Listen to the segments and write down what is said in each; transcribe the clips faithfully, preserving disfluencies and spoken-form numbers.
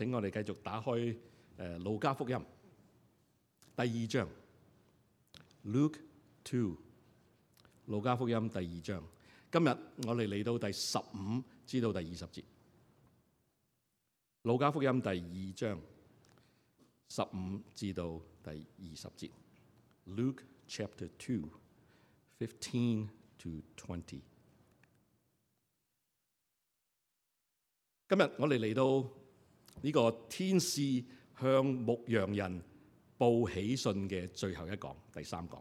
請我哋繼續打開誒路加福音第二章 Luke two， 路加福音第二章。今日我哋嚟到第十五至到第二十節。路加福音第二章十五至到第二十節。Luke chapter two, fifteen to twenty。今日我哋嚟到呢個天使向牧羊人報喜訊嘅最後一講，第三講。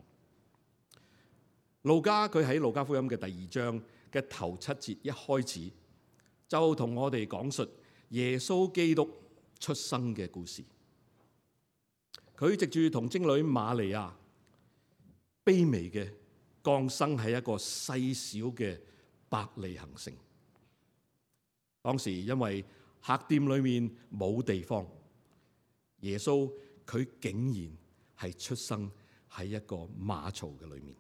路加佢喺路加福音嘅第二章嘅頭七節一開始就同我哋講述耶穌基督出生嘅故事。佢藉住同貞女瑪利亞卑微嘅降生喺一個細小嘅伯利恆城。當時因為客店裏面冇地方，耶穌佢竟然係出生喺一個馬槽嘅裏面。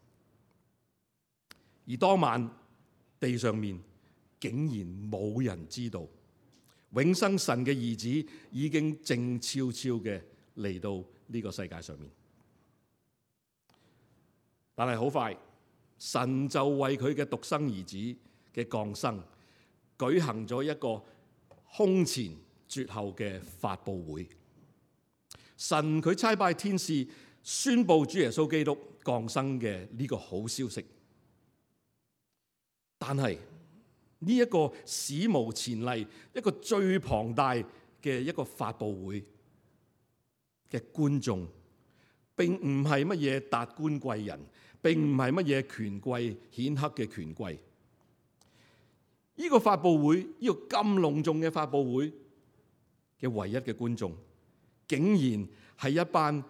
而當晚地上面竟然冇人知道，永生神嘅兒子已經靜悄悄嘅嚟到呢個世界上面。但係好快，神就為佢嘅獨生兒子嘅降生舉行咗一個空前絕後嘅發佈會。神佢差派天使宣布主耶穌基督降生嘅呢個好消息。但係呢一個史無前例、一個最龐大嘅一個發佈會嘅觀眾，並唔係乜嘢達官貴人，並唔係乜嘢權貴顯赫嘅權貴。呢個發佈會，呢個咁隆重嘅發佈會嘅唯一嘅觀眾，竟然係一班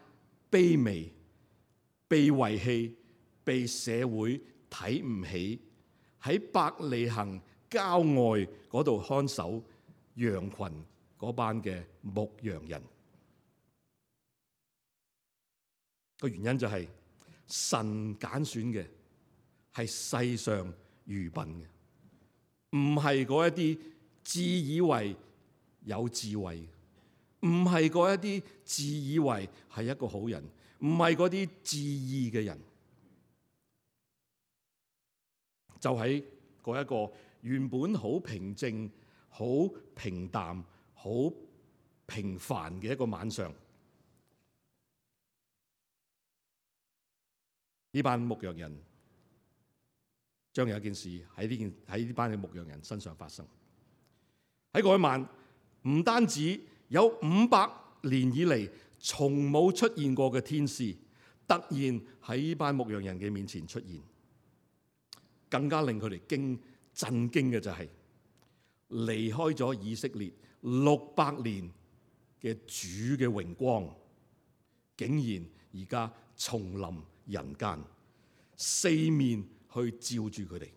卑微、被遺棄、被社會睇唔起，喺伯利恆郊外嗰度看守羊群嗰班嘅牧羊人。個原因就係神揀選嘅係世上愚笨嘅，唔係嗰一啲自以為有智慧，唔係嗰一啲自以為係一個好人，唔係嗰啲自義嘅人。就喺嗰一個原本好平靜、好平淡、好平凡嘅一個晚上，呢班牧羊人將有一件事喺呢件喺呢班嘅牧羊人身上發生。喺嗰一晚，唔單止有五百年以嚟從冇出現過嘅天使，突然喺呢班牧羊人嘅面前出現。更加令佢哋驚震驚嘅就係離開咗以色列六百年嘅主嘅榮光，竟然而家重臨人間，四面去照住佢哋。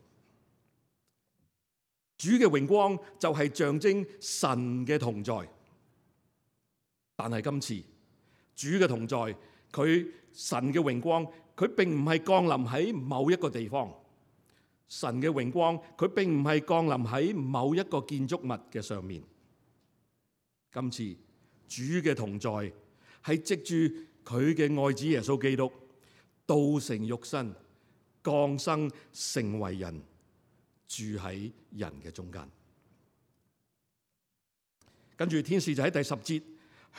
主嘅榮光就係象徵神嘅同在，但係今次主嘅同在，佢神嘅榮光，佢並唔係降臨喺某一個地方。神嘅榮光，佢並唔係降臨喺某一個建築物嘅上面。今次主嘅同在係藉住佢嘅愛子耶穌基督道成肉身，降生成為人，住喺人嘅中間。跟住天使就喺第十節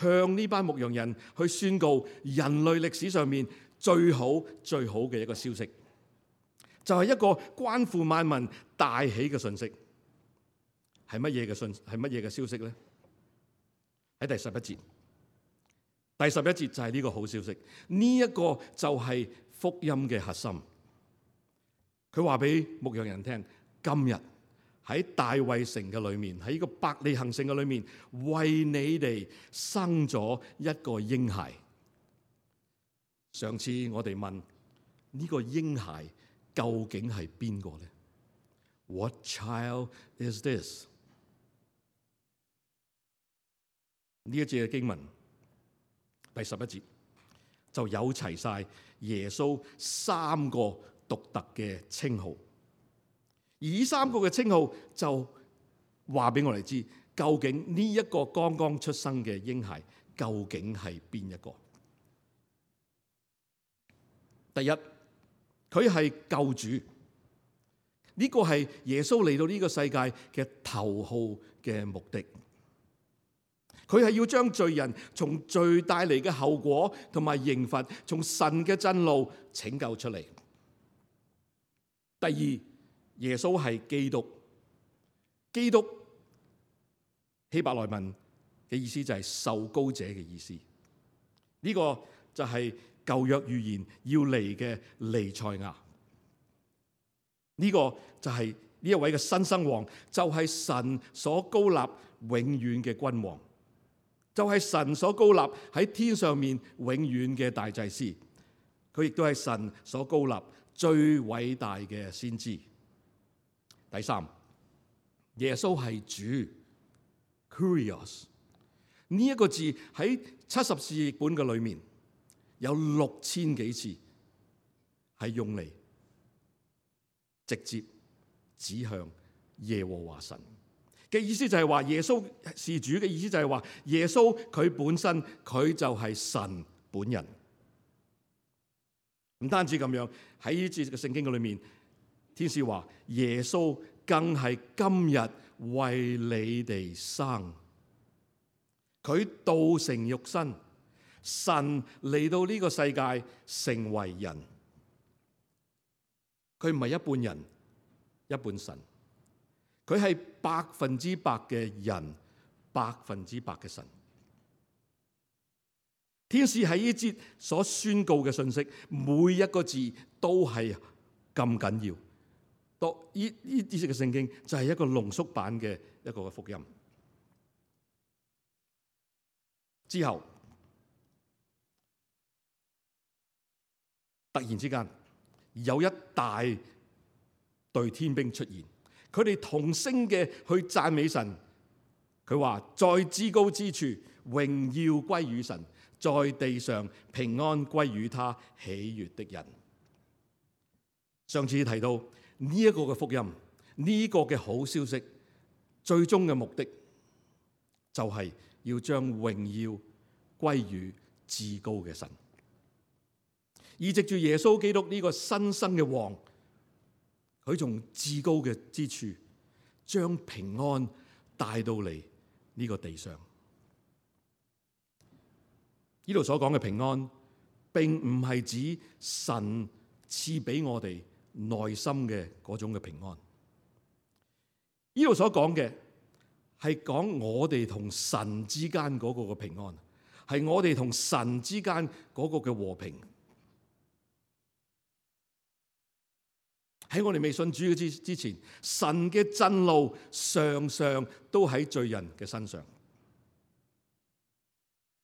向呢班牧羊人去宣告人類歷史上面最好最好嘅一個消息。就係一個關乎萬民大喜嘅信息。係乜嘢嘅信？係乜嘢嘅消息咧？喺第十一節，第十一節就係呢個好消息。呢一個就係福音嘅核心。佢話俾牧羊人聽，今日喺大衛城嘅裏面，喺呢個伯利恆城嘅裏面，為你哋生咗一個嬰孩。上次我哋問呢個嬰孩究竟係邊個咧 ？What child is this？ 呢一節嘅經文第十一節就有齊晒耶穌三個獨特嘅稱號，而呢三個嘅稱號就話俾我哋知，究竟呢一個剛剛出生嘅嬰孩究竟係邊一個？第一，佢係救主，呢個係耶穌嚟到呢個世界嘅頭號嘅目的。佢係要將罪人從罪帶嚟嘅後果同埋刑罰，從神嘅震怒拯救出嚟。第二，耶穌係基督，基督希伯來文嘅意思就係受膏者嘅意思。呢個就係舊約預言要嚟嘅彌賽亞。呢個就係呢一位嘅新生王，就係神所膏立永遠嘅君王。就係神所膏立喺天上面永遠嘅大祭司，佢亦都係神所膏立最偉大嘅先知。第三，耶穌係主 Kurios， 呢一個字喺七十士譯本嘅裏面有六千幾次係用嚟直接指向耶和華神嘅意思，就係話耶穌是主嘅意思，就係話耶穌佢本身佢就係神本人。唔單止咁樣，喺呢節嘅聖經嘅裏面，天使話耶穌更係今日為你哋生，佢道成肉身，神嚟到呢個世界成為人，佢唔係一半人一半神。佢係百分之百嘅人，百分之百嘅神。天使喺呢節所宣告嘅信息，每一個字都係咁緊要。讀呢呢節嘅聖經就係一個濃縮版嘅一個福音。之後突然之間有一大隊天兵出現。佢哋同聲嘅去讚美神，佢話在至高之處榮耀歸於神，在地上平安歸於他喜悅的人。上次提到呢一個嘅福音，呢個嘅好消息，最終嘅目的就係要將榮耀歸於至高嘅神，而藉住耶穌基督呢個新生嘅王，佢從至高嘅之處將平安帶到嚟呢個地上。呢度所講嘅平安，並唔係指神賜俾我哋內心嘅嗰種嘅平安。呢度所講嘅係講我哋同神之間嗰個嘅平安，係我哋同神之間嗰個嘅和平。喺我哋未信主之之前，神嘅震怒常常都喺罪人嘅身上。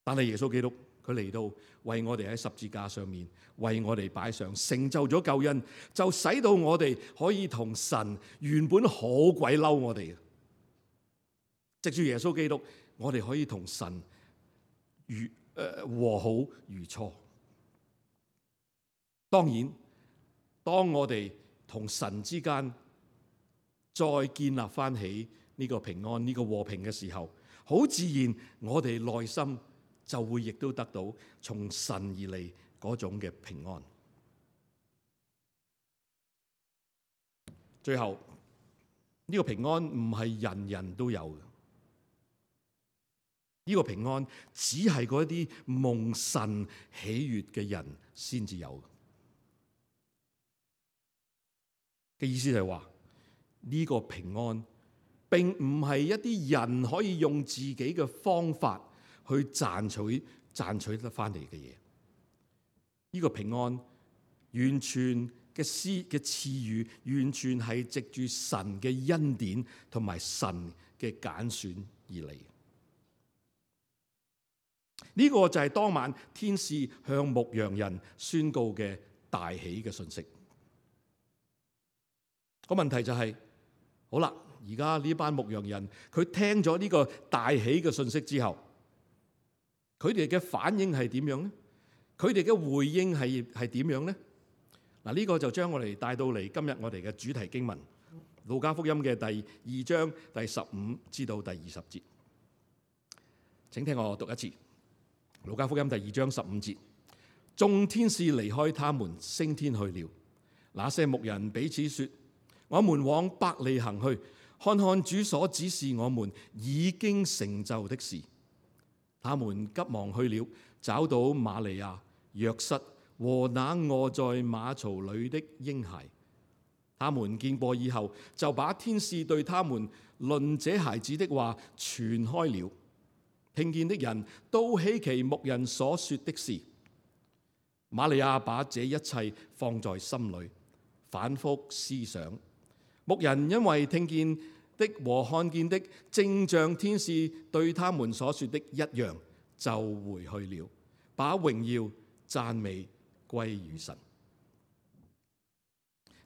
但係耶穌基督佢嚟到，為我哋喺十字架上面為我哋擺上，成就咗救恩，就使到我哋可以同神原本好鬼嬲我哋嘅，藉住耶穌基督，我哋可以同神如誒和好如初。當然，當我哋同神之間再建立翻起呢個平安、呢個和平嘅時候，好自然我哋內心就會亦都得到從神而嚟嗰種嘅平安。最後呢個平安唔係人人都有嘅，呢個平安只係嗰啲蒙神喜悅嘅人先至有嘅。意思就係話呢個平安並唔係一啲人可以用自己嘅方法去賺取賺取得翻嚟嘅嘢。呢個平安完全嘅施嘅賜予，完全係藉住神嘅恩典同埋神嘅揀選而嚟。呢個就係當晚天使向牧羊人宣告嘅大喜嘅信息。個問題就係，好啦，而家呢班牧羊人佢聽咗呢個大喜嘅信息之後，佢哋嘅反應係點樣呢？佢哋嘅回應係係點樣呢？嗱，呢個就將我哋帶到嚟今日我哋嘅主題經文路加福音嘅第二章第十五至到第二十節，請聽我讀一次。路加福音第二章十五節，眾天使離開他們，升天去了。那些牧人彼此說：我們往伯利恆去，看看主所指示我們已經成就的事。他們急忙去了，找到瑪利亞、約瑟和那臥在馬槽裏的嬰孩。他們見過以後，就把天使對他們論這孩子的話傳開了。聽見的人都稀奇牧人所說的事。瑪利亞把這一切放在心裏，反覆思想。牧人因為聽見的和看見的正像天使對他們所說的一樣，就回去了，把榮耀讚美歸於神。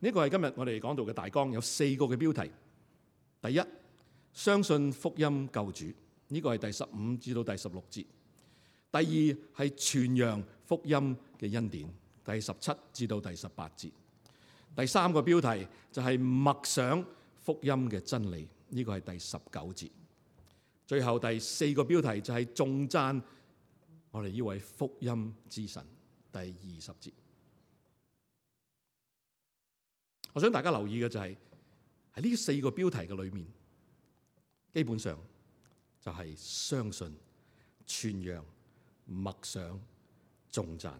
呢個係今日我哋講到嘅大綱，有四個嘅標題。第一，相信福音救主，呢個係第十五至到第十六節。第二係傳揚福音嘅恩典，第十七至到第十八節。第三個標題就係默想福音嘅真理，呢個係第十九節。最後第四個標題就係頌讚我哋呢位福音之神，第二十節。我想大家留意嘅就係喺呢四個標題嘅裏面，基本上就係相信、傳揚、默想、頌讚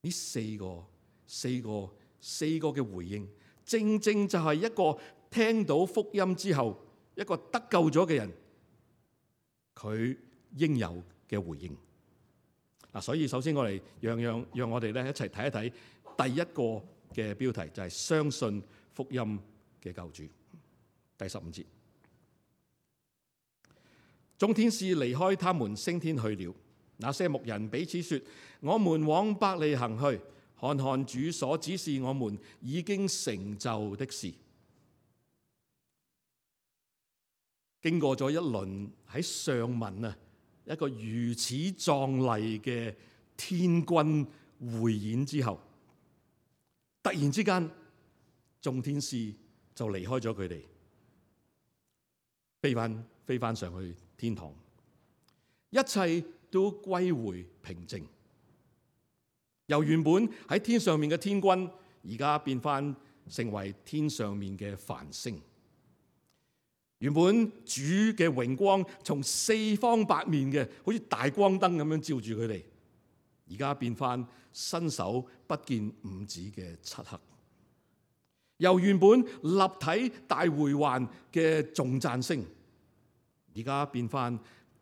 呢四個、四個、四個嘅回應，正正就係一個聽到福音之後，一個得救咗嘅人佢應有嘅回應。嗱，所以首先我哋讓讓讓我哋咧一齊睇一睇第一個嘅標題，就係相信福音嘅救主。第十五節，眾天使離開他們，升天去了。那些牧人彼此說：我們往伯利恆去，看看主所指示我們已經成就的事。經過咗一輪喺上文啊，一個如此壯麗嘅天軍匯演之後，突然之間，眾天使就離開咗佢哋，飛翻飛翻上去天堂，一切都歸回平靜。由原本喺天上面嘅天軍，而家變翻成為天上面嘅繁星。原本主嘅榮光從四方八面嘅，好似大光燈咁樣照住佢哋，而家變翻伸手不見五指嘅漆黑。由原本立體大回環嘅頌讚聲，而家變翻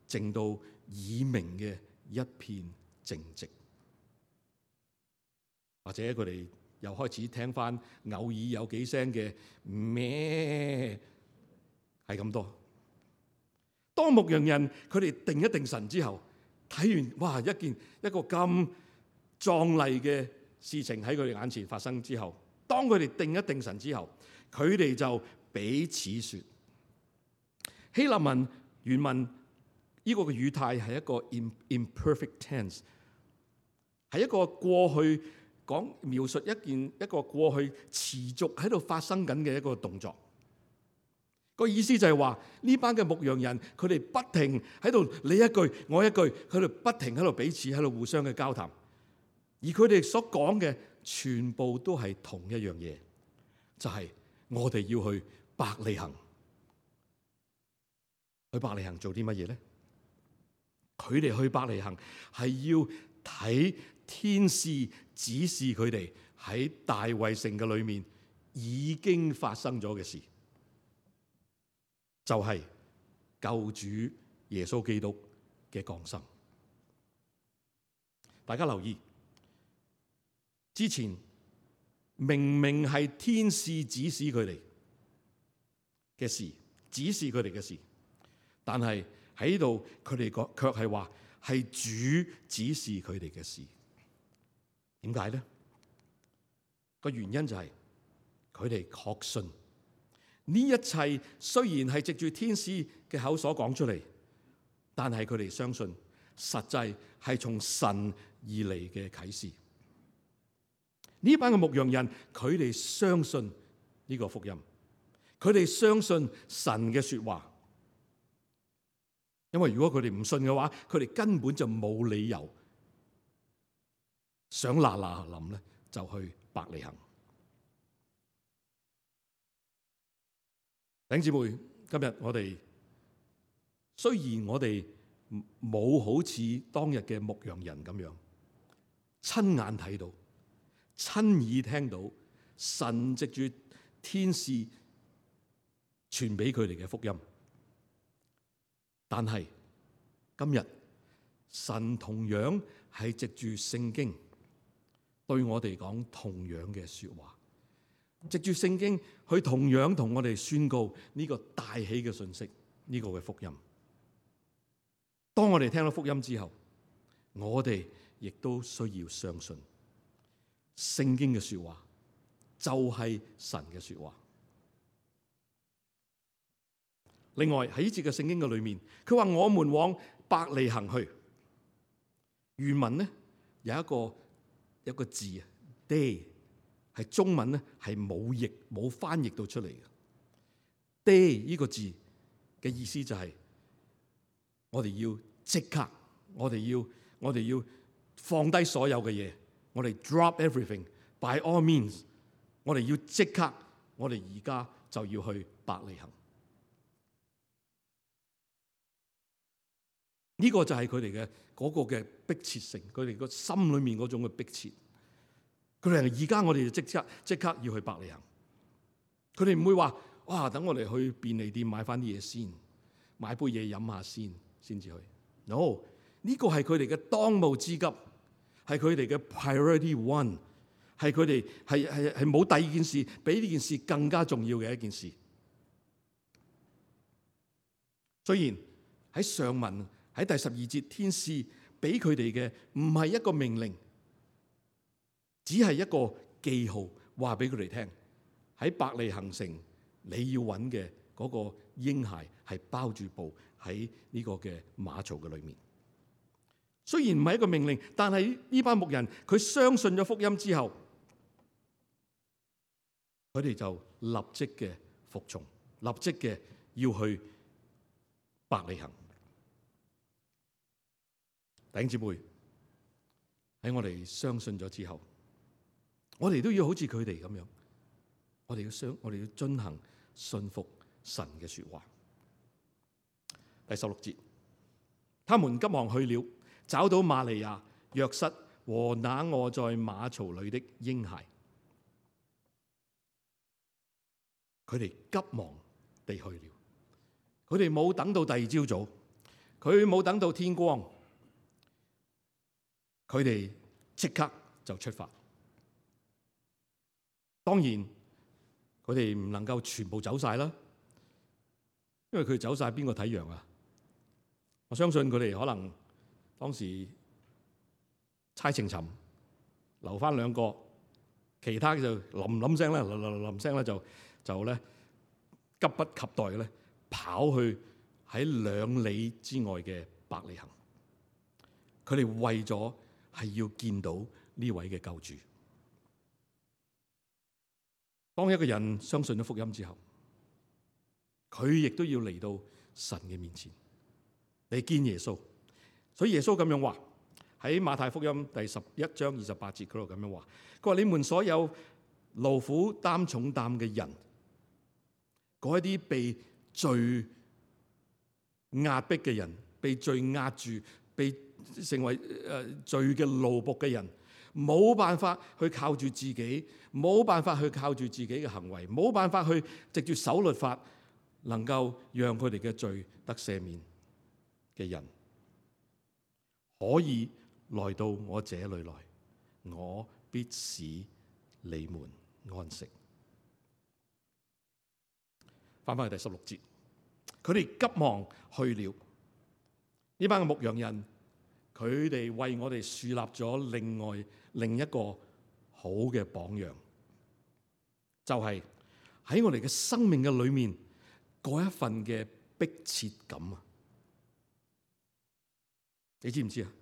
靜到耳鳴嘅一片靜寂。或者佢哋又開始聽翻偶爾有幾聲嘅咩，係咁多。當牧羊人佢哋定一定神之後，睇完哇一件一個咁壯麗嘅事情喺佢哋眼前發生之後，當佢哋定一定神之後，佢哋就彼此說。希臘文原文呢個嘅語態係一個 imperfect tense， 係一個過去講描述一件一個過去持續喺度發生緊嘅一個動作。個意思就係話呢班嘅牧羊人佢哋不停喺度你一句我一句，佢哋不停喺度彼此喺度互相嘅交談，而佢哋所講嘅全部都係同一樣嘢，就係我哋要去伯利恆。去伯利恆做啲乜嘢咧？佢哋去伯利恆係要睇天使指示佢哋喺大衛城嘅裏面已經發生咗嘅事，就係救主耶穌基督嘅降生。大家留意，之前明明係天使指示佢哋嘅事，指示佢哋嘅事，但係喺度佢哋講卻係話係主指示佢哋嘅事。點解咧？個原因就係佢哋確信呢一切雖然係藉住天使嘅口所講出嚟，但係佢哋相信實際係從神而嚟嘅啟示。呢班嘅牧羊人佢哋相信呢個福音，佢哋相信神嘅說話，因為如果佢哋唔信嘅話，佢哋根本就冇理由想嗱嗱臨咧就去伯利恆。弟兄姊妹，今日我哋雖然我哋冇好似當日嘅牧羊人咁樣親眼睇到、親耳聽到神藉住天使傳俾佢哋嘅福音，但係今日神同樣係藉住聖經對我哋講同樣嘅說話，藉住聖經去同樣同我哋宣告呢個大喜嘅信息，呢個嘅福音。當我哋聽到福音之後，我哋亦都需要相信聖經嘅說話就係神嘅說話。另外喺呢節嘅聖經嘅裏面，佢話我們往伯利恆去。原文呢有一個有一個字啊 ，day 係中文咧係冇譯冇翻譯到出嚟嘅。day 呢個字嘅意思就係我哋要即刻，我哋要我哋要放低所有嘅嘢，我哋 drop everything by all means， 我哋要即刻，我哋而家就要去伯利恆。呢個就係佢哋嘅嗰個嘅迫切性，佢哋個心裏面嗰種嘅迫切。佢哋而家我哋就即刻即刻要去伯利恆。佢哋唔會話哇，等我哋去便利店買翻啲嘢先，買杯嘢飲下先，先至去。No， 呢個係佢哋嘅當務之急，係佢哋嘅 priority one， 係佢哋係係係冇第二件事比呢件事更加重要嘅一件事。雖然喺上文。喺第十二節，天使俾佢哋嘅唔係一個命令，只係一個記號，話俾佢哋聽喺伯利恆城你要揾嘅嗰個嬰孩係包住布喺呢個嘅馬槽嘅裏面。雖然唔係一個命令，但係呢班牧人佢相信咗福音之後，佢哋就立即嘅服從，立即嘅要去伯利恆。弟兄姊妹，喺我哋相信咗之後，我哋都要好似佢哋咁樣，我哋要相，我哋要遵行信服神嘅說話。第十六節，他們急忙去了，找到瑪利亞、約瑟和那臥在馬槽裏的嬰孩，佢哋急忙地去了，佢哋冇等到第二朝早，佢冇等到天光。佢哋即刻就出發。當然，佢哋唔能夠全部走晒啦，因為佢哋走晒，邊個睇羊啊？我相信佢哋可能當時猜情尋，留翻兩個，其他就冧冧聲咧，冧冧冧聲咧就就咧急不及待嘅咧跑去喺兩里之外嘅伯利恆。佢哋為咗係要見到呢位嘅救主。當一個人相信咗福音之後，佢亦都要嚟到神嘅面前嚟見耶穌。所以耶穌咁樣話喺馬太福音第十一章二十八節嗰度咁樣話，佢話：你們所有勞苦擔重擔嘅人，嗰一啲被罪壓迫嘅人，被罪壓住，被成為誒罪嘅奴僕嘅人，冇辦法去靠住自己，冇辦法去靠住自己嘅行為，冇辦法去藉住守律法，能夠讓佢哋嘅罪得赦免嘅人，可以來到我這裏來，我必使你們安息。翻返去第十六節，佢哋急忙去了。呢班嘅牧羊人，佢哋為我哋樹立咗另外另一個好嘅榜樣，就係喺我哋嘅生命嘅裏面嗰一份嘅迫切感啊！你知唔知啊？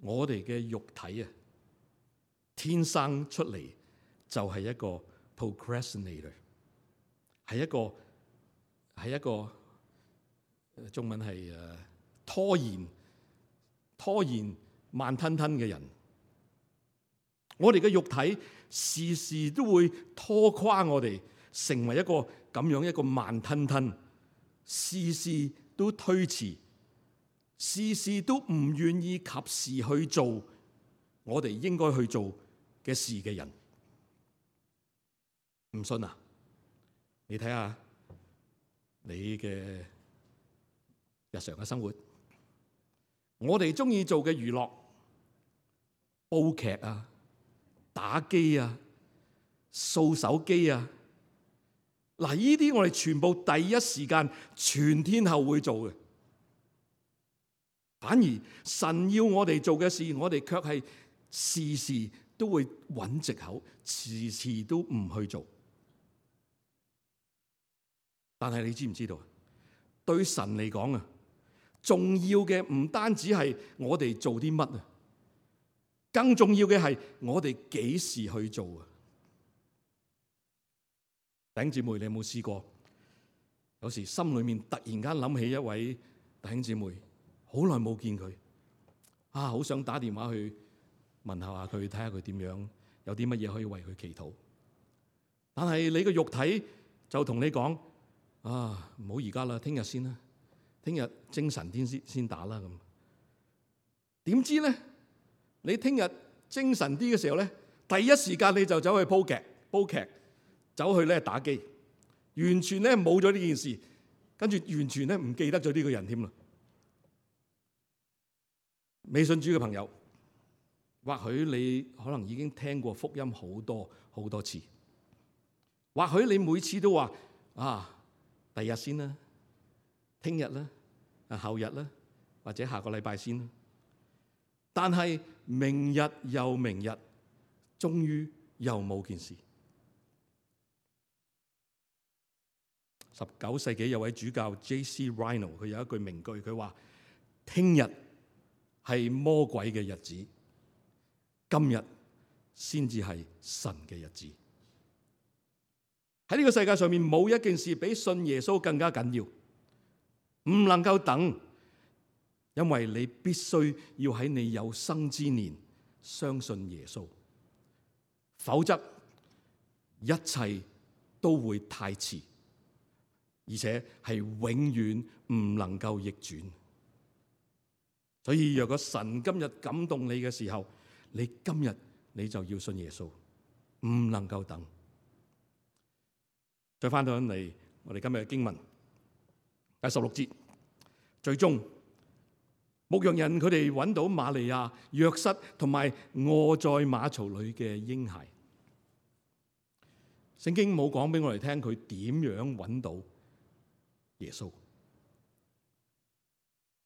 我哋嘅肉體啊，天生出嚟就係一個 procrastinator，係一個係一個中文係誒拖延拖延慢吞吞嘅人。我哋嘅肉體時時都會拖垮我哋，成為一個咁樣一個慢吞吞，事事都推遲，事事都唔願意及時去做我哋應該去做嘅事嘅人。唔信啊？你睇下你嘅日常嘅生活，我哋中意做嘅娛樂，煲劇啊、打機啊、掃手機啊，嗱，呢啲我哋全部第一時間全天候會做嘅。反而神要我哋做嘅事，我哋卻係時時都會揾藉口，遲遲都唔去做。但係你知唔知道？對神嚟講啊，重要嘅唔單止係我哋做啲乜啊，更重要嘅係我哋幾時去做啊！弟兄姊妹，你有冇試過？有時心裏面突然間諗起一位弟兄姊妹，好耐冇見佢，啊，好想打電話去問下下佢，睇下佢點樣，有啲乜嘢可以為佢祈禱。但係你個肉體就同你講：啊，唔好而家啦，聽日先啦，聽日精神啲先先打啦咁。點知咧？你聽日精神啲嘅時候咧，第一時間你就走去煲劇，煲劇，走去咧打機，完全咧冇咗呢件事，跟住完全咧唔記得咗呢個人添啦。未信主嘅朋友，或許你可能已經聽過福音好多好多次，或許你每次都話：啊，第日先啦，聽日啦，啊後日啦，或者下個禮拜先啦。但係明日又明日，終於又冇件事。十九世紀有位主教 J C Ryle， 佢有一句名句，佢話：聽日係魔鬼嘅日子，今日先至係神嘅日子。喺呢個世界上面，冇一件事比信耶穌更加緊要，唔能夠等，因為你必須要喺你有生之年相信耶穌，否則一切都會太遲，而且係永遠唔能夠逆轉。所以若果神今日感動你嘅時候，你今日你就要信耶穌，唔能夠等。再翻到嚟我哋今日嘅經文第十六節，最終牧羊人佢哋揾到瑪利亞、約瑟同埋臥在馬槽裏嘅嬰孩。聖經冇講俾我哋聽佢點樣揾到耶穌，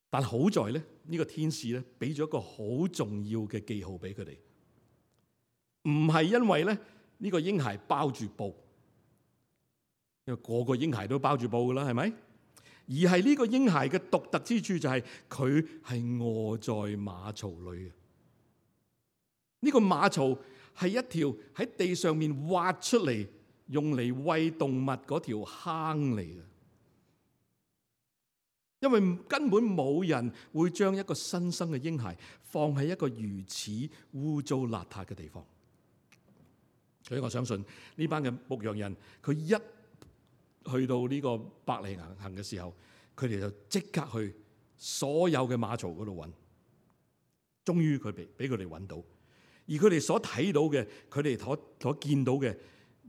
但好在咧，呢個天使咧俾咗一個好重要嘅記號俾佢哋，唔係因為咧呢個嬰孩包住布。因為個個嬰孩都包住布噶啦，係咪？而係呢個嬰孩嘅獨特之處就係佢係臥在馬槽裏嘅。呢個馬槽係一條喺地上面挖出嚟用嚟餵動物嗰條坑嚟嘅。因為根本冇人會將一個新生嘅嬰孩放喺一個如此污糟邋遢嘅地方。所以我相信呢班嘅牧羊人，佢一去到呢個伯利恆嘅時候，佢哋就即刻去所有嘅馬槽嗰度揾，終於佢俾俾佢哋揾到，而佢哋所睇到嘅，佢哋所所見到嘅，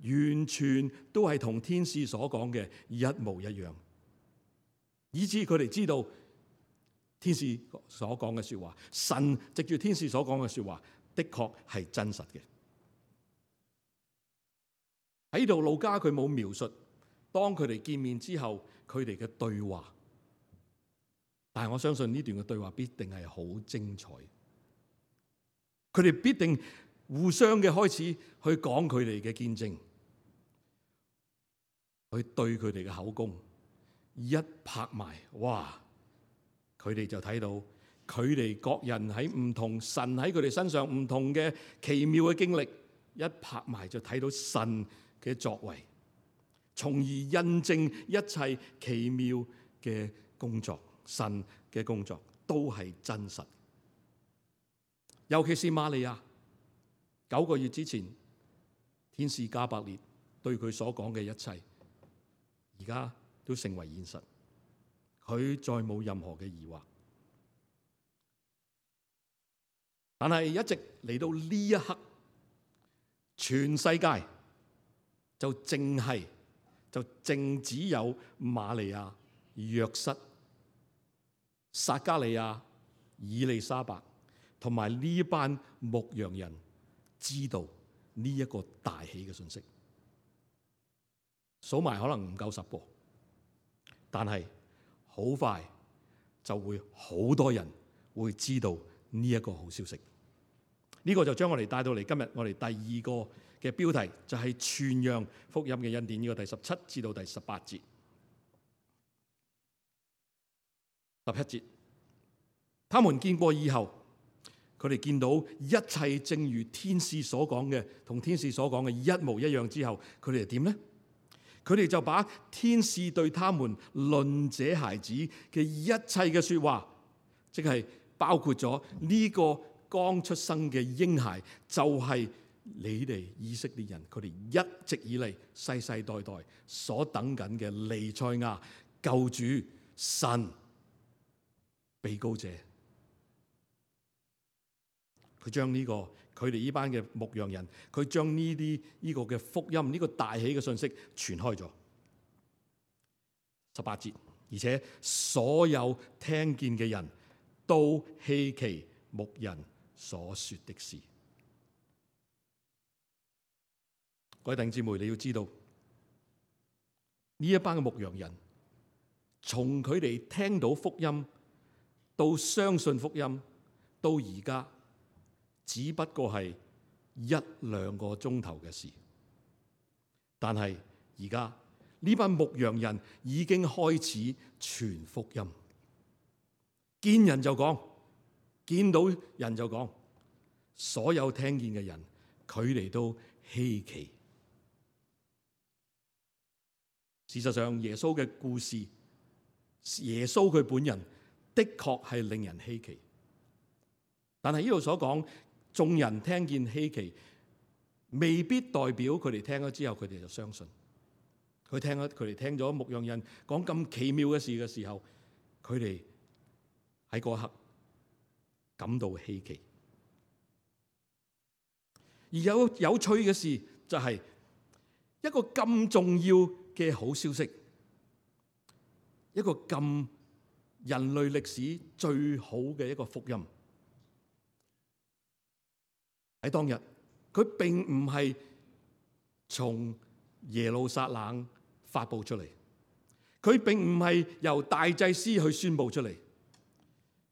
完全都係同天使所講嘅一模一樣，以致佢哋知道天使所講嘅說話，神藉住天使所講嘅說話，的確係真實嘅。喺度路加佢冇描述當佢哋見面之後，佢哋嘅對話，但係我相信呢段嘅對話必定係好精彩。佢哋必定互相嘅開始去講佢哋嘅見證，去對佢哋嘅口供一拍埋，哇！佢哋就睇到佢哋各人喺唔同神喺佢哋身上唔同嘅奇妙嘅經歷，一拍埋就睇到神嘅作為。從而印證一切奇妙嘅工作，神嘅工作都係真實。尤其是瑪利亞，九個月之前，天使加百列對佢所講嘅一切，而家都成為現實。佢再冇任何嘅疑惑。但係一直嚟到呢一刻，全世界就淨係就淨只有瑪利亞、約瑟、撒加利亞、以利沙伯同埋呢班牧羊人知道呢一個大喜嘅信息。數埋可能唔夠十個，但係好快就會好多人會知道呢一個好消息。呢個就將我哋帶到嚟今日我哋第二個嘅標題，就係傳揚福音嘅恩典。呢個第十七至到第十八節。十七節，他們見過以後，佢哋見到一切正如天使所講嘅，同天使所講嘅一模一樣之後，佢哋係點呢？佢哋就把天使對他們論這孩子嘅一切嘅說話，即係包括咗呢個剛出生嘅嬰孩，就係你哋以色列人，佢哋一直以嚟世世代代所等緊嘅彌賽亞救主神被膏者。佢將呢個佢哋呢班嘅牧羊人，佢將呢啲呢個嘅福音，呢個大喜嘅信息傳開咗。十八節，而且所有聽見嘅人都稀奇牧人所說的事。各位弟兄姊妹，你要知道呢一班嘅牧羊人，從佢哋聽到福音到相信福音，到而家只不過係一兩個鐘頭嘅事。但係而家呢班牧羊人已經開始傳福音，見人就講，見到人就講，所有聽見嘅人，佢哋都稀奇。事實上，耶穌嘅故事，耶穌佢本人的確係令人稀奇。但係呢度所講，眾人聽見稀奇，未必代表佢哋聽咗之後，佢哋就相信。佢聽咗，佢哋聽咗牧羊人講咁奇妙嘅事嘅時候，佢哋喺嗰刻感到稀奇。而有有趣嘅事就係一個咁重要嘅好消息，一個咁人類歷史最好嘅一個福音，喺當日佢並唔係從耶路撒冷發佈出嚟，佢並唔係由大祭司去宣佈出嚟，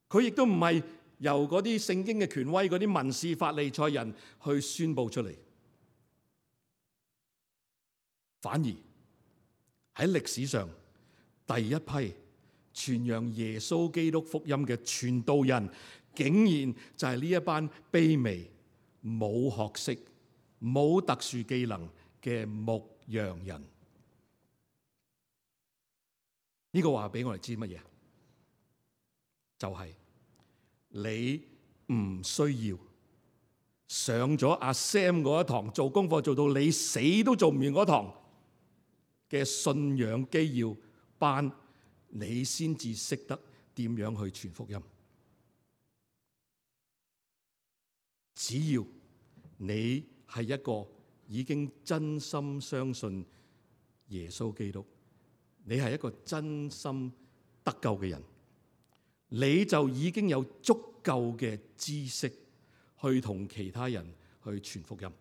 佢亦都唔係由嗰啲聖經嘅權威、嗰啲文士法利賽人去宣佈出嚟，反而喺歷史上第一批傳揚耶穌基督福音嘅傳道人，竟然就係呢一班卑微、冇學識、冇特殊技能嘅牧羊人。呢個話俾我哋知乜嘢？就係你唔需要上咗阿 Sam 嗰一堂做功課做到你死都做唔完嗰堂嘅信仰基要班，你先至識得點樣去傳福音。只要你係一個已經真心相信耶穌基督，你係一個真心得救嘅人，你就已經有足夠嘅知識去同其他人去傳福音。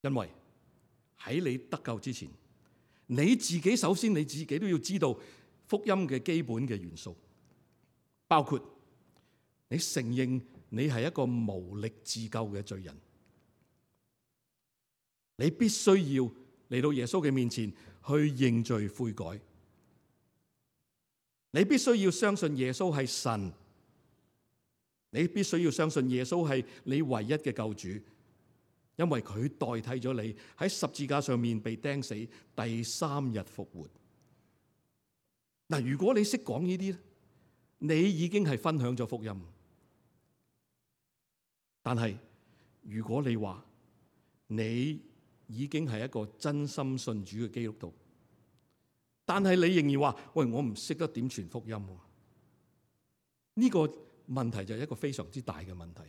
因為喺你得救之前，你自己首先你自己都要知道福音嘅基本嘅元素，包括你承認你係一個無力自救嘅罪人，你必須要嚟到耶穌嘅面前去認罪悔改，你必須要相信耶穌係神，你必須要相信耶穌係你唯一嘅救主，因為佢代替咗你喺十字架上面被釘死，第三日復活。嗱，如果你識講呢啲咧，你已經係分享咗福音。但係如果你話你已經係一個真心信主嘅基督徒，但係你仍然話喂，我唔識得點傳福音，呢個問題就係一個非常之大嘅問題。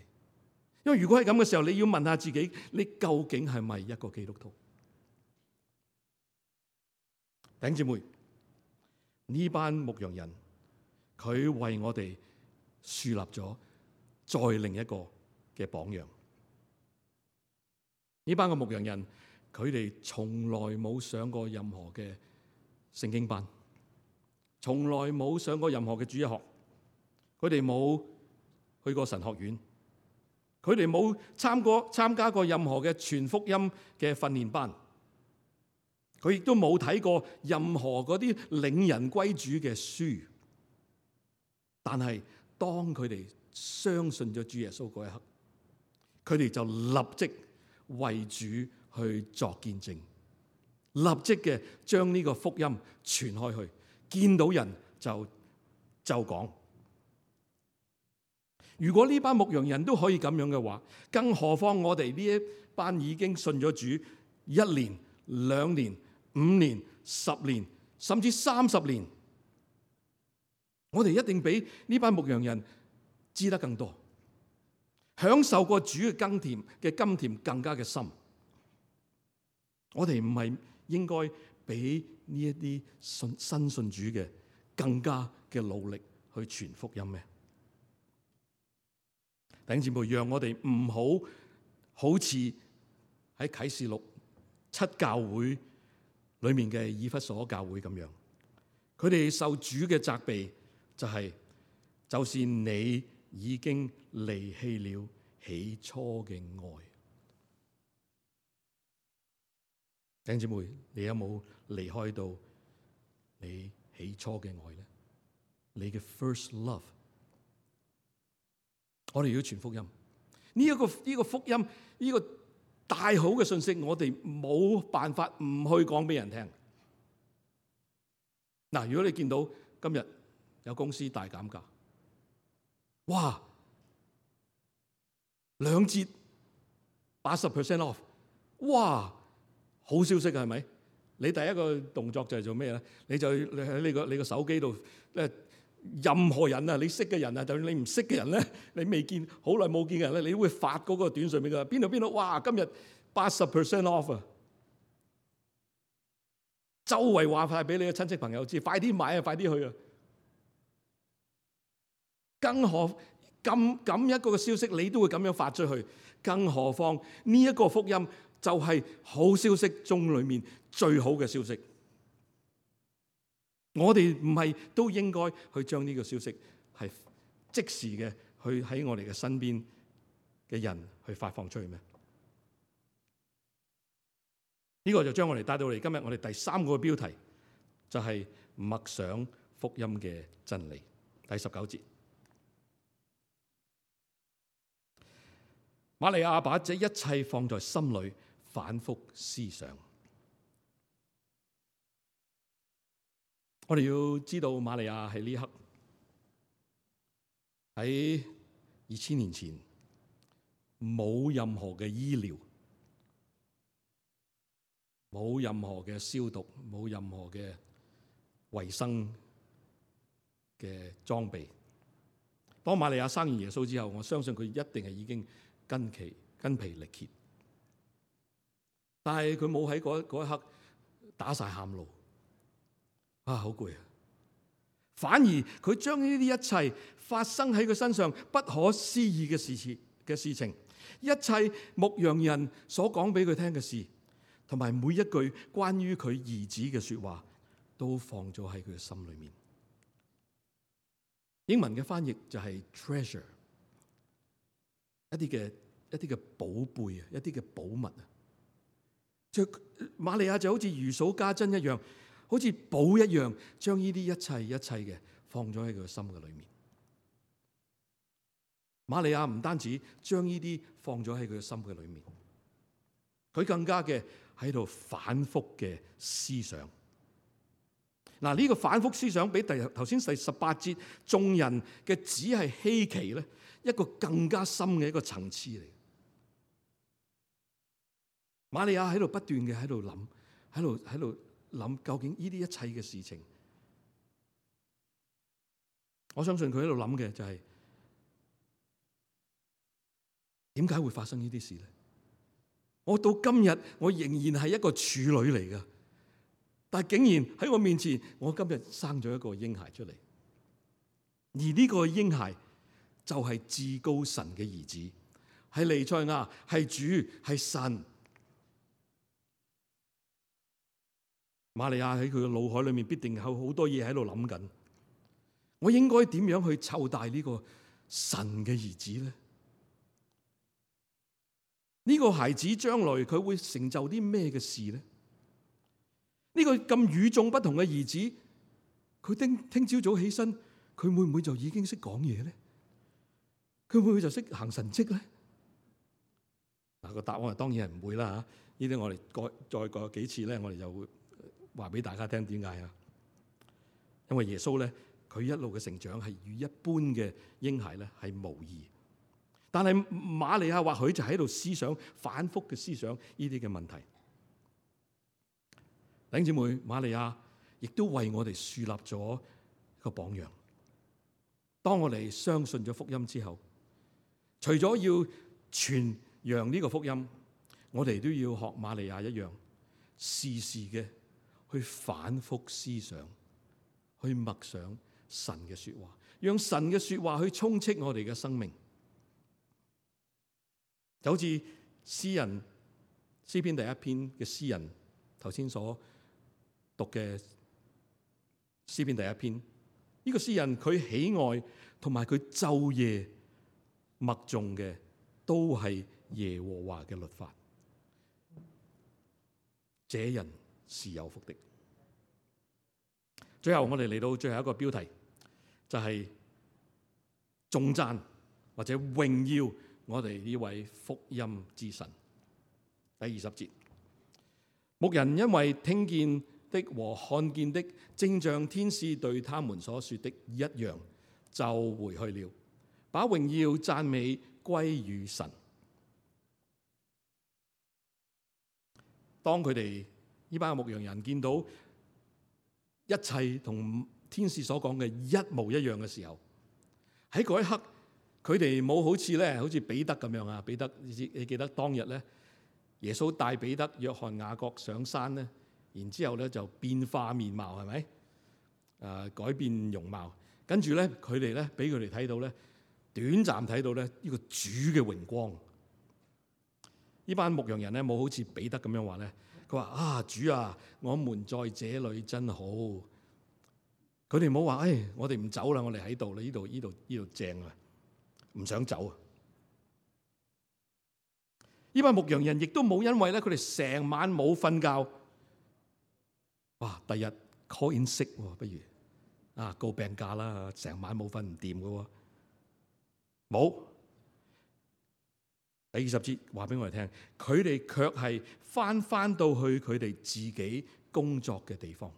因為如果係咁嘅時候，你要問下自己，你究竟係咪一個基督徒？弟兄姊妹，呢班牧羊人，佢為我哋樹立咗再另一個嘅榜樣。呢班嘅牧羊人，佢哋從來冇上過任何嘅聖經班，從來冇上過任何嘅主日學，佢哋冇去過神學院，佢哋冇參過參加過任何嘅傳福音嘅訓練班，佢亦都冇睇過任何嗰啲領人歸主嘅書。但係當佢哋相信咗主耶穌嗰一刻，佢哋就立即為主去作見證，立即嘅將呢個福音傳開去，見到人就就講。如果呢班牧羊人都可以咁樣嘅話，更何況我哋呢一班已經信咗主一年、兩年、五年、十年，甚至三十年，我哋一定比呢班牧羊人知得更多，享受過主嘅甘甜嘅甘甜更加嘅深。我哋唔係應該比呢一啲信新信主嘅更加嘅努力去傳福音咩？弟兄姊妹，讓我哋唔好好似喺啟示錄七教會裏面嘅以弗所教會咁樣，佢哋受主嘅責備就係、是，就是你已經離棄了起初嘅愛。弟兄姊妹，你有冇離開到你起初嘅愛呢？你嘅 first love。我哋要傳福音，呢、這、一個呢、這個福音呢、這個大好嘅信息，我哋冇辦法唔去講俾人聽。嗱，如果你見到今日有公司大減價，哇，兩折八十 percent off， 哇，好消息係咪？你第一個動作就係做咩咧？你就你喺你個你個手機度咧。任何人啊，你識嘅人啊，就算你唔識嘅人咧，你未見好耐冇見嘅人咧，你都會發嗰個短信俾佢，邊度邊度，哇！今日八十 percent off 啊！周圍話晒俾你嘅親戚朋友知，快啲買啊，快啲去啊！更何咁咁一個嘅消息，你都會咁樣發出去，更何況呢一個福音就係好消息中裏面最好嘅消息。我哋唔係都應該去將呢個消息係即時嘅去喺我哋嘅身邊嘅人去發放出去咩？呢個就將我哋帶到嚟今日我哋第三個標題，就係默想福音嘅真理。第十九節，瑪利亞把這一切放在心裏，反覆思想。我哋要知道，瑪利亞喺呢刻喺二千年前冇任何嘅醫療，冇任何嘅消毒，冇任何嘅衛生嘅裝備。當瑪利亞生完耶穌之後，我相信佢一定係已經筋疲筋疲力竭，但係佢冇喺嗰嗰一刻打晒喊路。啊，好攰啊！反而佢將呢啲一切發生喺佢身上不可思議嘅事情嘅事情，一切牧羊人所講俾佢聽嘅事，同埋每一句關於佢兒子嘅說話，都放咗喺佢嘅心裏面。英文嘅翻譯就係 treasure， 一啲嘅一啲嘅寶貝啊，一啲嘅寶物啊。就瑪利亞就好似如數家珍一樣，好似寶一樣，將呢啲一切一切嘅放咗喺佢嘅心嘅裏面。瑪利亞唔單止將呢啲放咗喺佢嘅心嘅裏面，佢更加嘅喺度反覆嘅思想。嗱，呢個反覆思想比第頭先第十八節眾人嘅只係稀奇咧，一個更加深嘅一個層次嚟。瑪利亞喺度不斷嘅喺度諗，喺度喺度諗究竟呢啲一切嘅事情。我相信佢喺度諗嘅就係點解會發生呢啲事咧？我到今日我仍然係一個處女嚟㗎。但係竟然喺我面前，我今日生咗一個嬰孩出嚟，而呢個嬰孩就係至高神嘅兒子，係彌賽亞，係主，係神。瑪利亞喺佢嘅腦海裏面必定有好多嘢喺度諗緊，我應該點樣去湊大呢個神嘅兒子咧？呢個孩子將來佢會成就啲咩嘅事咧？呢個咁與眾不同嘅兒子，佢聽聽朝早起身，佢會唔會就已經識講嘢咧？佢會唔會就識行神蹟咧？嗱，個答案當然係唔會啦吓。呢啲我哋過再過幾次咧，我哋就會話俾大家聽點解啊？因為耶穌咧，佢一路嘅成長係與一般嘅嬰孩咧係無異。但係瑪利亞或許就喺度思想反覆嘅思想呢啲嘅問題。弟兄姊妹，瑪利亞亦都為我哋樹立咗一個榜樣。當我哋相信咗福音之後，除咗要傳揚呢個福音，我哋都要學瑪利亞一樣，時時嘅去反覆思想，去默想神嘅說話，讓神嘅說話去充斥我哋嘅生命。就好似詩人詩篇第一篇嘅詩人頭先所讀嘅詩篇第一篇，呢個詩人佢喜愛同埋佢晝夜默誦嘅都係耶和華嘅律法，這人是有福的。最後我哋嚟到最後一個標題，就係頌讚或者榮耀我哋呢位福音之神。第二十節，牧人因為聽見的和看見的，正像天使對他們所說的一樣，就回去了，把榮耀讚美歸於神。當佢哋呢班牧羊人見到一切同天使所講嘅一模一樣嘅時候，喺嗰一刻，佢哋冇好似咧，好似彼得咁樣啊！彼得，你記得當日咧，耶穌帶彼得、約翰、雅各上山咧。然之後咧就變化面貌，係咪？誒、呃、改變容貌，跟住咧佢哋咧俾佢哋睇到咧，短暫睇到咧呢個主嘅榮光。呢班牧羊人咧冇好似彼得咁樣話咧，佢話啊主啊，我們在這裏真好。佢哋冇話誒，我哋唔走啦，我哋喺度啦，呢度呢度呢度正啊，唔想走啊。呢班牧羊人亦都冇因為咧佢哋成晚冇瞓覺。哇！第日 call in sick 喎，不如啊告病假啦，成晚冇瞓唔掂嘅喎，冇。第二十節話俾我哋聽，佢哋卻係翻翻到去佢哋自己工作嘅地方，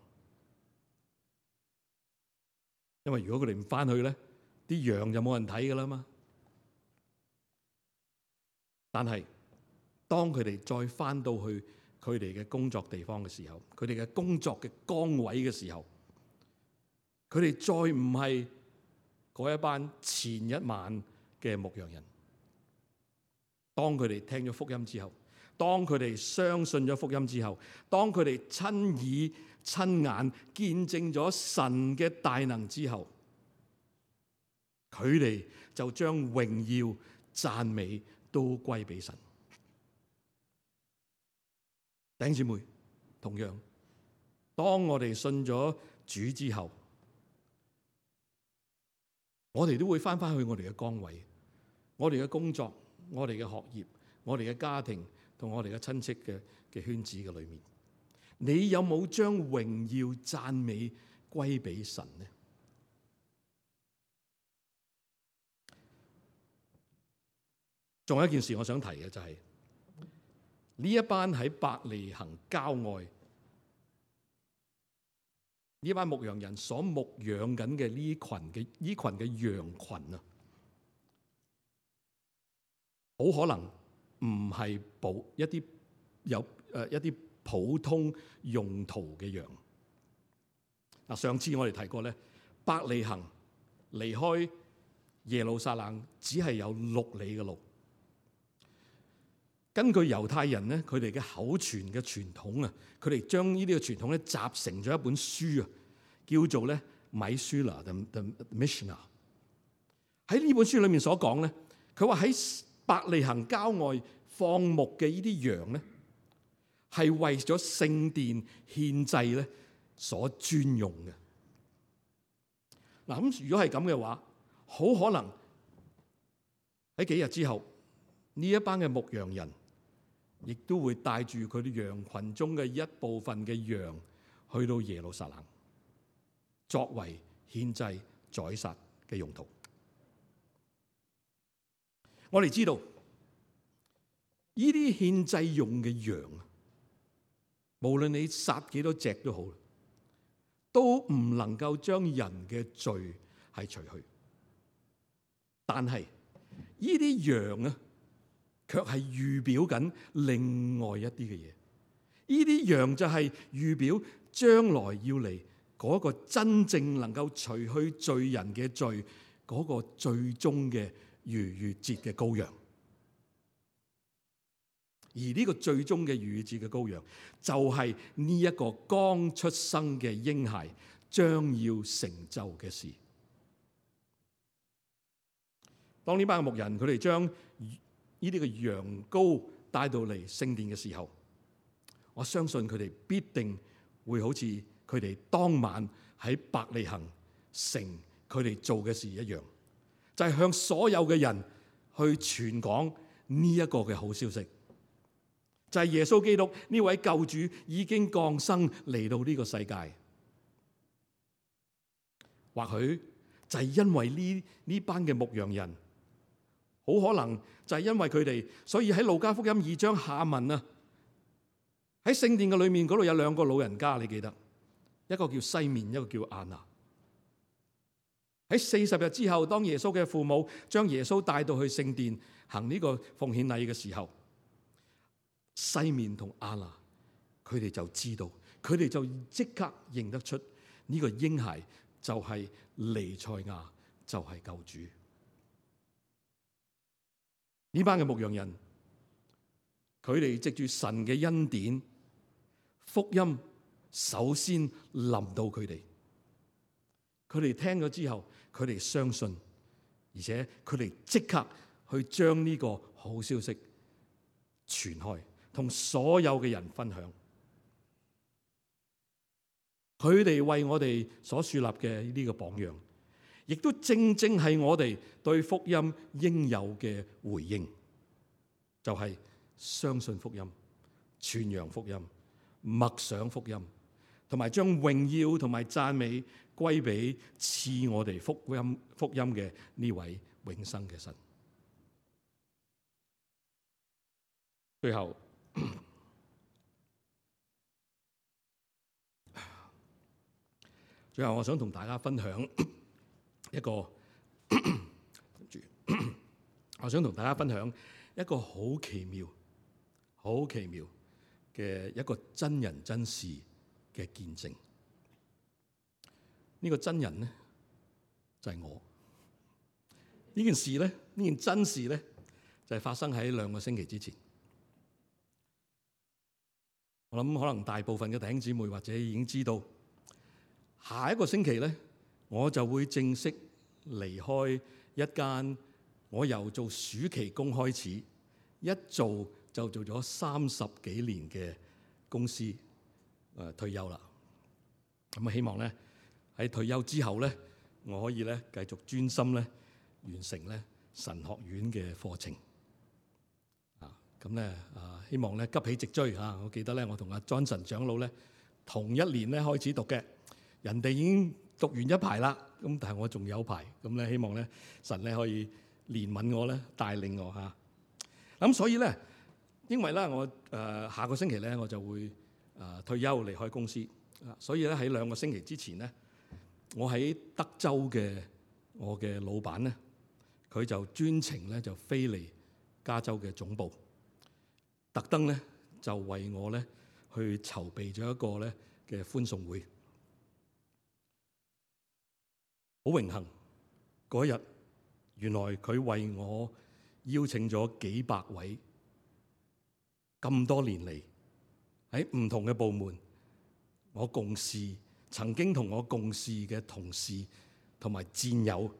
因為如果佢哋唔翻去咧，啲羊就冇人睇㗎啦嘛。但係當佢哋再翻到去佢哋嘅工作地方嘅時候，佢哋嘅工作嘅崗位嘅時候，佢哋再唔係嗰一班前一晚嘅牧羊人。當佢哋聽咗福音之後，當佢哋相信咗福音之後，當佢哋親耳親眼見證咗神嘅大能之後，佢哋就將榮耀讚美都歸俾神。弟兄姊妹，同樣，當我哋信咗主之後，我哋都會翻翻去我哋嘅崗位，我哋嘅工作，我哋嘅學業，我哋嘅家庭同我哋嘅親戚嘅嘅圈子嘅裏面，你有冇將榮耀讚美歸俾神呢？仲有一件事我想提嘅就係，呢一班喺伯利恆郊外，呢班牧羊人所牧養緊嘅呢群嘅呢群嘅羊群啊，好可能唔係保一啲有誒一啲普通用途嘅羊。嗱，上次我哋提過咧，伯利恆離開耶路撒冷只係有六里嘅路。根據猶太人咧，佢哋嘅口傳嘅傳統啊，佢哋將呢啲嘅傳統咧集成咗一本書啊，叫做咧米書拉 the the Mishnah。喺呢本書裏面所講咧，佢話喺伯利恆郊外放牧嘅呢啲羊咧，係為咗聖殿獻祭咧所專用嘅。嗱，咁如果係咁嘅話，好可能喺幾日之後，呢一班嘅牧羊人亦都會帶住佢哋羊群中嘅一部分嘅羊去到耶路撒冷，作為獻祭宰殺嘅用途。我哋知道呢啲獻祭用嘅羊，無論你殺幾多隻都好，都唔能夠將人嘅罪係除去。但係呢啲羊啊，卻係預表緊另外一啲嘅嘢。呢啲羊就係預表將來要嚟嗰個真正能夠除去罪人嘅罪嗰個最終嘅逾越節嘅羔羊。而呢個最終嘅逾越節嘅羔羊，就係呢一個剛出生嘅嬰孩將要成就嘅事。當呢班嘅牧人佢哋將呢啲嘅羊羔帶到嚟聖殿嘅時候，我相信佢哋必定會好似佢哋當晚喺伯利恆城佢哋做嘅事一樣，就係向所有嘅人去傳講呢一個嘅好消息，就係耶穌基督呢位救主已經降生嚟到呢個世界。或許就係因為呢呢班嘅牧羊人，好可能就係因為佢哋，所以喺路加福音二章下文啊，喺聖殿嘅裏面嗰度有兩個老人家，你記得，一個叫西面，一個叫亞那。喺四十日之後，當耶穌嘅父母將耶穌帶到去聖殿行呢個奉獻禮嘅時候，西面同亞那佢哋就知道，佢哋就即刻認得出呢個嬰孩就係彌賽亞，就係救主。呢班嘅牧羊人，佢哋藉住神嘅恩典，福音首先臨到佢哋。佢哋聽咗之後，佢哋相信，而且佢哋即刻去將呢個好消息傳開，同所有嘅人分享。佢哋為我哋所樹立嘅呢個榜樣，亦都正正係我哋對福音應有嘅回應，就係相信福音、傳揚福音、默想福音，同埋將榮耀同埋讚美歸俾賜我哋福音福音嘅呢位永生嘅神。最後，最後我想同大家分享一個，我想同大家分享一個好奇妙、好奇妙嘅一個真人真事嘅見證。呢個真人咧就係我。呢件事咧，呢件真事咧就係發生喺兩個星期之前。我諗可能大部分嘅弟兄姊妹或者已經知道，下一個星期咧，我就會正式離開一間我由做暑期工開始，一做就做咗三十幾年嘅公司，誒、呃、退休啦。咁啊，希望咧喺退休之後咧，我可以咧繼續專心咧完成咧神學院嘅課程。啊，咁咧啊，希望咧急起直追啊！我記得咧，我同阿 Johnson 長老咧同一年咧開始讀嘅。人哋已經讀完一排啦，咁但係我仲有排，咁咧希望咧神咧可以憐憫我咧，帶領我嚇。咁所以咧，因為咧我誒、呃、下個星期咧我就會誒、呃、退休離開公司，所以咧喺兩個星期之前咧，我喺德州嘅我嘅老闆咧，佢就專程咧就飛嚟加州嘅總部，特登咧就為我咧去籌備咗一個咧嘅歡送會。好榮幸嗰日，原來佢為我邀請咗幾百位咁多年嚟喺唔同嘅部門，我共事曾經同我共事嘅同事同埋戰友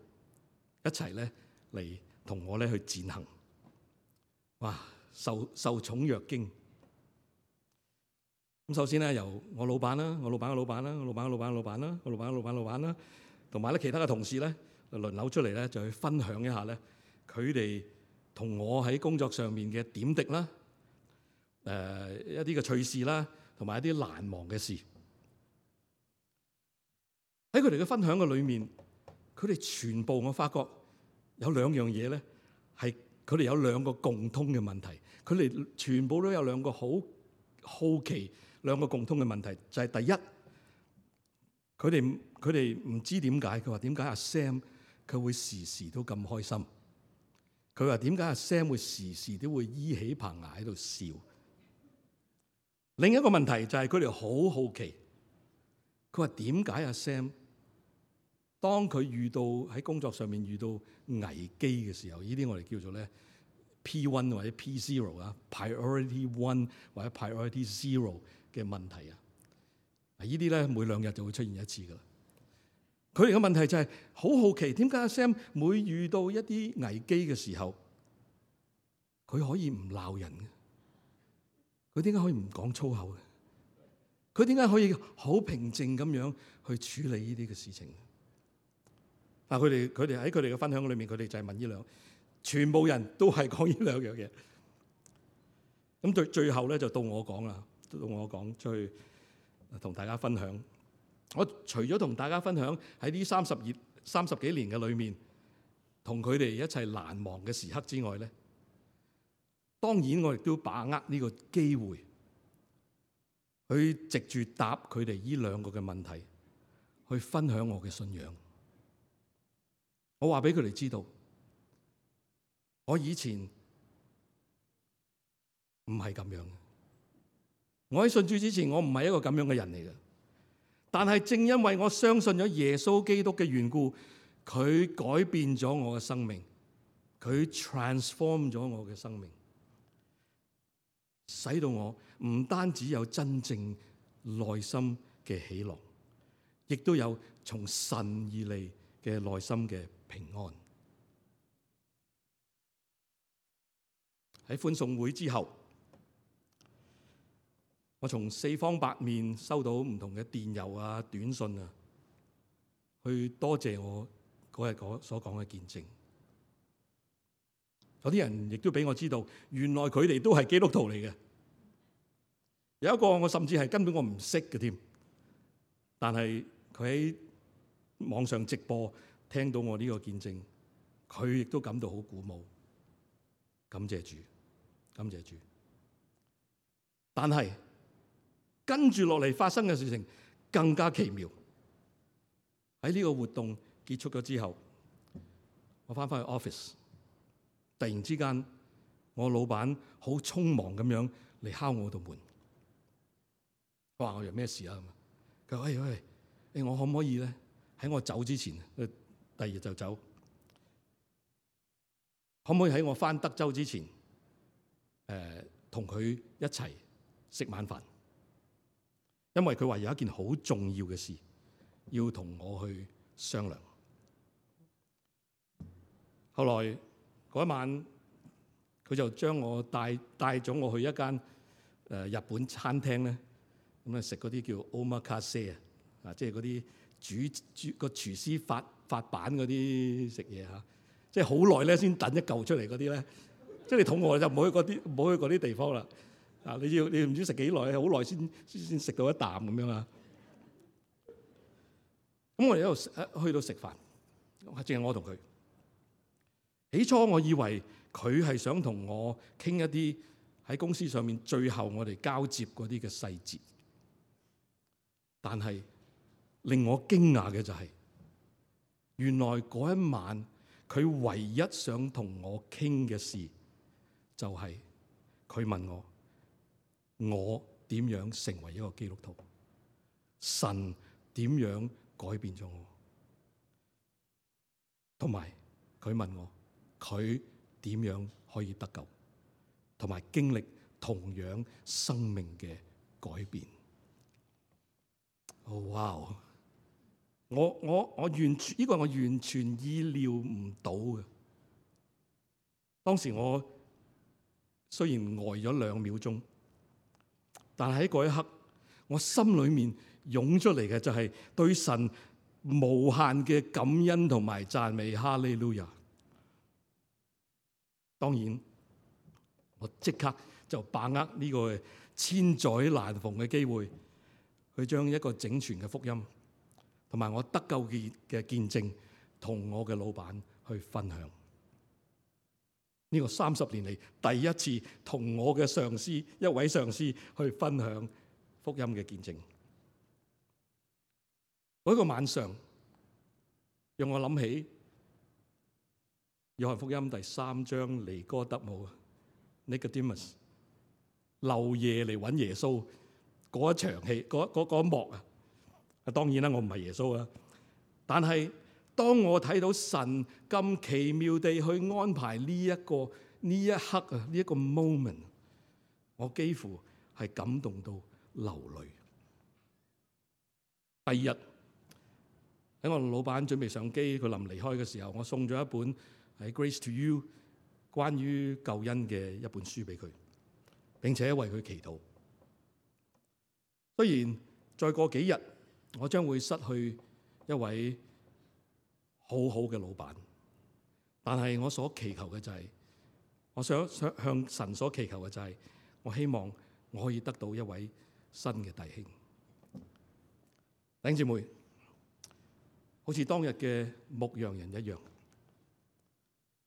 一齊咧嚟同我咧去踐行。哇！受受寵若驚。咁首先咧，由我老闆啦，我老闆嘅老闆啦，我老闆嘅老闆嘅老闆啦，我老闆嘅老闆嘅老闆啦，同埋咧其他嘅同事咧，輪流出嚟咧，就去分享一下咧，佢哋同我喺工作上面嘅點滴啦，誒、呃、一啲嘅趣事啦，同埋一啲難忘嘅事。喺佢哋嘅分享嘅裏面，佢哋全部我發覺有兩樣嘢咧，係佢哋有兩個共通嘅問題。佢哋全部都有兩個好好奇兩個共通嘅問題，就係、是、第一，佢哋佢哋唔知點解，佢話點解阿 Sam 佢會時時都咁開心？佢話點解阿 Sam 會時時都會依起棚牙喺度笑？另一個問題就係佢哋好好奇，佢話點解阿 Sam 當佢遇到喺工作上面遇到危機嘅時候，呢啲我哋叫做咧 P 一 或者 P 零 啊 ，Priority One 或者 Priority Zero 嘅問題啊，呢啲咧每兩日就會出現一次噶啦。佢哋嘅問題就係好好奇，點解阿 Sam 每遇到一啲危機嘅時候，佢可以唔鬧人嘅？佢點解可以唔講粗口嘅？佢點解可以好平靜咁樣去處理呢啲嘅事情？啊！佢哋佢哋喺佢哋嘅分享裏面，佢哋就係問呢兩，全部人都係講呢兩樣嘢。咁最最後咧就到我講啦，到我講出去同大家分享。我除咗同大家分享喺呢三十二三十幾年嘅裏面，同佢哋一齊難忘嘅時刻之外咧，當然我亦都把握呢個機會，去藉住答佢哋呢兩個嘅問題，去分享我嘅信仰。我話俾佢哋知道，我以前唔係咁樣嘅。我喺信主之前，我唔係一個咁樣嘅人嚟嘅。但係正因為我相信咗耶穌基督嘅緣故，佢改變咗我嘅生命，佢 transform 咗我嘅生命，使到我唔單止有真正內心嘅喜樂，亦都有從神而嚟嘅內心嘅平安。喺歡送會之後，我從四方八面收到唔同嘅電郵啊、短信啊，去多謝我嗰日所講嘅見證。有啲人亦都俾我知道，原來佢哋都係基督徒嚟嘅。有一個我甚至係根本我唔識嘅添，但係佢喺網上直播聽到我呢個見證，佢亦都感到好鼓舞。感謝主，感謝主。但係跟住落嚟發生嘅事情更加奇妙。喺呢個活動結束咗之後，我翻返去 office， 突然之間我老闆好匆忙咁樣嚟敲我度門。我話我有咩事啊？佢話：喂喂，誒我可唔可以咧喺我走之前，第二日就走，可唔可以喺我翻德州之前，誒同佢一齊食晚飯？因為佢話有一件好重要嘅事要同我去商量。後來嗰一晚，佢就將我帶帶咗我去一間誒日本餐廳咧，咁啊食嗰啲叫 omakase 啊，啊即係嗰啲煮煮個廚師發發版嗰啲食嘢嚇，即係好耐咧先等一嚿出嚟嗰啲咧，即係你肚餓就唔好去嗰啲唔好去嗰啲地方啦。啊！你要你唔知食幾耐，好耐先先食到一啖咁樣啊！咁我哋喺度去到食飯，淨係我同佢。起初我以為佢係想同我傾一啲喺公司上面最後我哋交接嗰啲嘅細節。但係令我驚訝嘅就係，原來嗰一晚佢唯一想同我傾嘅事，就係佢問我，我點樣成為一個基督徒？神點樣改變咗我？同埋佢問我，佢點樣可以得救？同埋經歷同樣生命嘅改變。哦，哇！我我我完全呢個我完全意料唔到嘅。當時我雖然呆咗兩秒鐘，但係喺嗰一刻，我心裏面湧出嚟嘅就係對神無限嘅感恩同埋讚美。哈利路亞！當然，我即刻就把握呢個千載難逢嘅機會，去將一個整全嘅福音同埋我得救嘅嘅見證，同我嘅老闆去分享。呢個三十年嚟第一次同我嘅上司，一位上司去分享福音嘅見證。嗰個晚上，讓我諗起約翰福音第三章尼哥德姆 Nicodemus 漏夜嚟揾耶穌嗰一場戲，嗰嗰嗰一幕啊！當然啦，我唔係耶穌啊，但係當我睇到神咁奇妙地去安排呢一個呢一刻啊，呢一個 moment， 我幾乎係感動到流淚。第二日喺我老闆準備上機，佢臨離開嘅時候，我送咗一本喺 Grace to You 關於救恩嘅一本書俾佢，並且為佢祈禱。雖然再過幾日，我將會失去一位好好嘅老闆，但係我所祈求嘅就係，我想想向神所祈求嘅就係，我希望我可以得到一位新嘅弟兄。弟兄姊妹，好似當日嘅牧羊人一樣，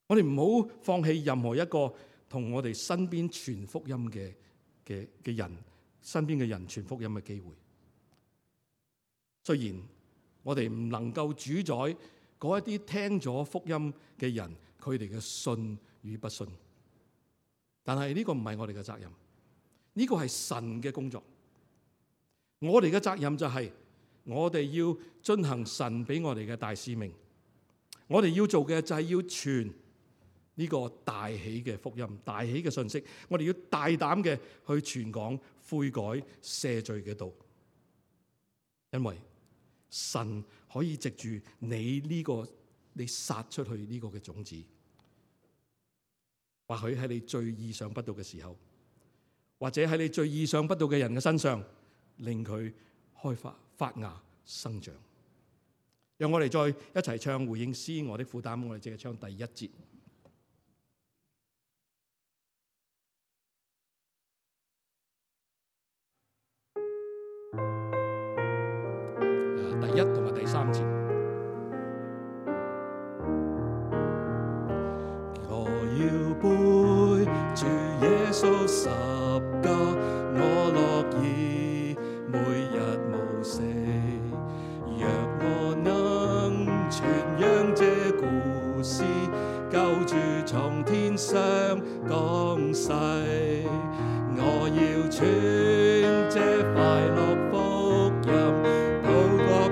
我哋唔好放棄任何一個同我哋身邊傳福音嘅嘅嘅人，身邊嘅人傳福音嘅機會。雖然我哋唔能夠主宰嗰一啲聽咗福音嘅人佢哋嘅信與不信，但係呢個唔係我哋嘅責任，呢個係神嘅工作。我哋嘅責任就係我哋要遵行神俾我哋嘅大使命。我哋要做嘅就係要傳呢個大喜嘅福音、大喜嘅信息。我哋要大膽嘅去傳講悔改赦罪嘅道，因為神可以藉住你呢個你撒出去呢個嘅種子，或許喺你最意想不到嘅時候，或者喺你最意想不到嘅人嘅身上，令佢開發發芽生長。讓我哋再一齊唱回應詩我的負擔，我哋淨係唱第一節。第一同埋第三節。我要背住耶穌十架，我樂意每日無死。若我能傳揚這故事，救主從天上降世，我要傳這快樂福音。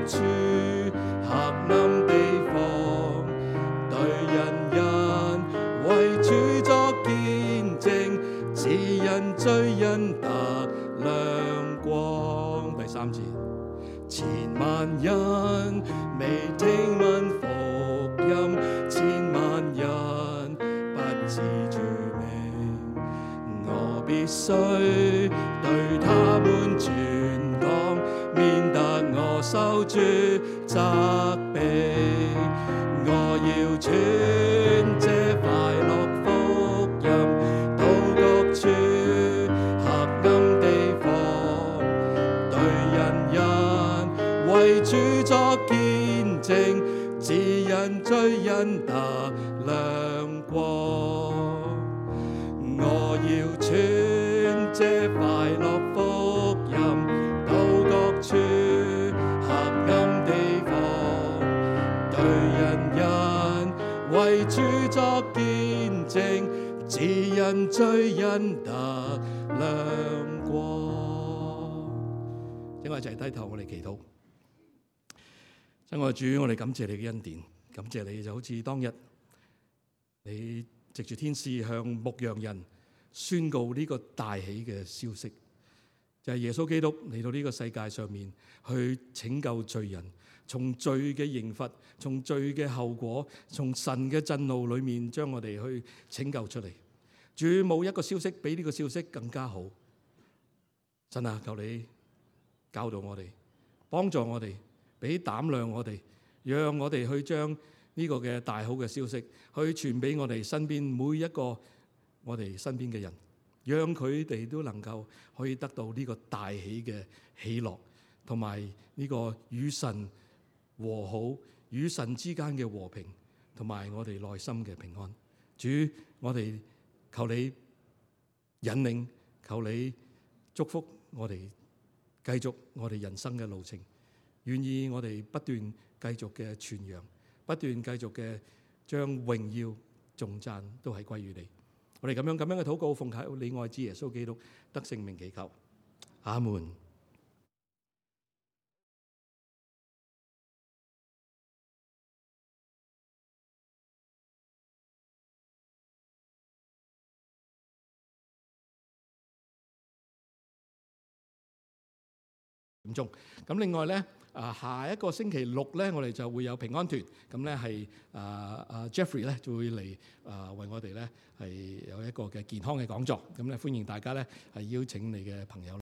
處黑暗地方，對人人為主作見證，指引罪人得亮光。第三節，千萬人未聽聞福音，千萬人不知主名，我必須對他們傳講，免得我受主責備。我要傳這快樂福音到各處黑暗地方，對人人為主作見證，指引罪人得亮光。我要傳這快樂福音到各處黑暗地方，對人人為主作見證，指引罪人得亮光。請我一齊低頭，我哋祈禱。親愛的主，我哋感謝你嘅恩典，感謝你就好似當日你藉住天使向牧羊人宣告呢個大喜嘅消息，就係耶穌基督嚟到呢個世界上面去拯救罪人，從罪嘅刑罰，從罪嘅後果，從神嘅震怒裏面將我哋去拯救出嚟。主，冇一個消息比呢個消息更加好。神啊，求你教導我哋，幫助我哋，俾膽量我哋，讓我哋去將呢個嘅大好嘅消息去傳俾我哋身邊每一個我哋身邊嘅人，讓佢哋都能夠可以得到呢個大喜嘅喜樂，同埋呢個與神和好、與神之間嘅和平，同埋我哋內心嘅平安。主，我哋求你引領，求你祝福我哋繼續我哋人生嘅路程，願意我哋不斷繼續嘅傳揚，不斷繼續嘅將榮耀頌讚都係歸於你。我哋咁樣咁樣嘅禱告，奉靠你愛子耶穌基督得聖名祈求，阿門。點鐘咁，另外咧，啊下一個星期六咧，我哋就會有平安團，咁咧係啊啊 Jeffrey 咧就會嚟啊為我哋咧係有一個嘅健康嘅講座，咁咧歡迎大家咧係邀請你嘅朋友。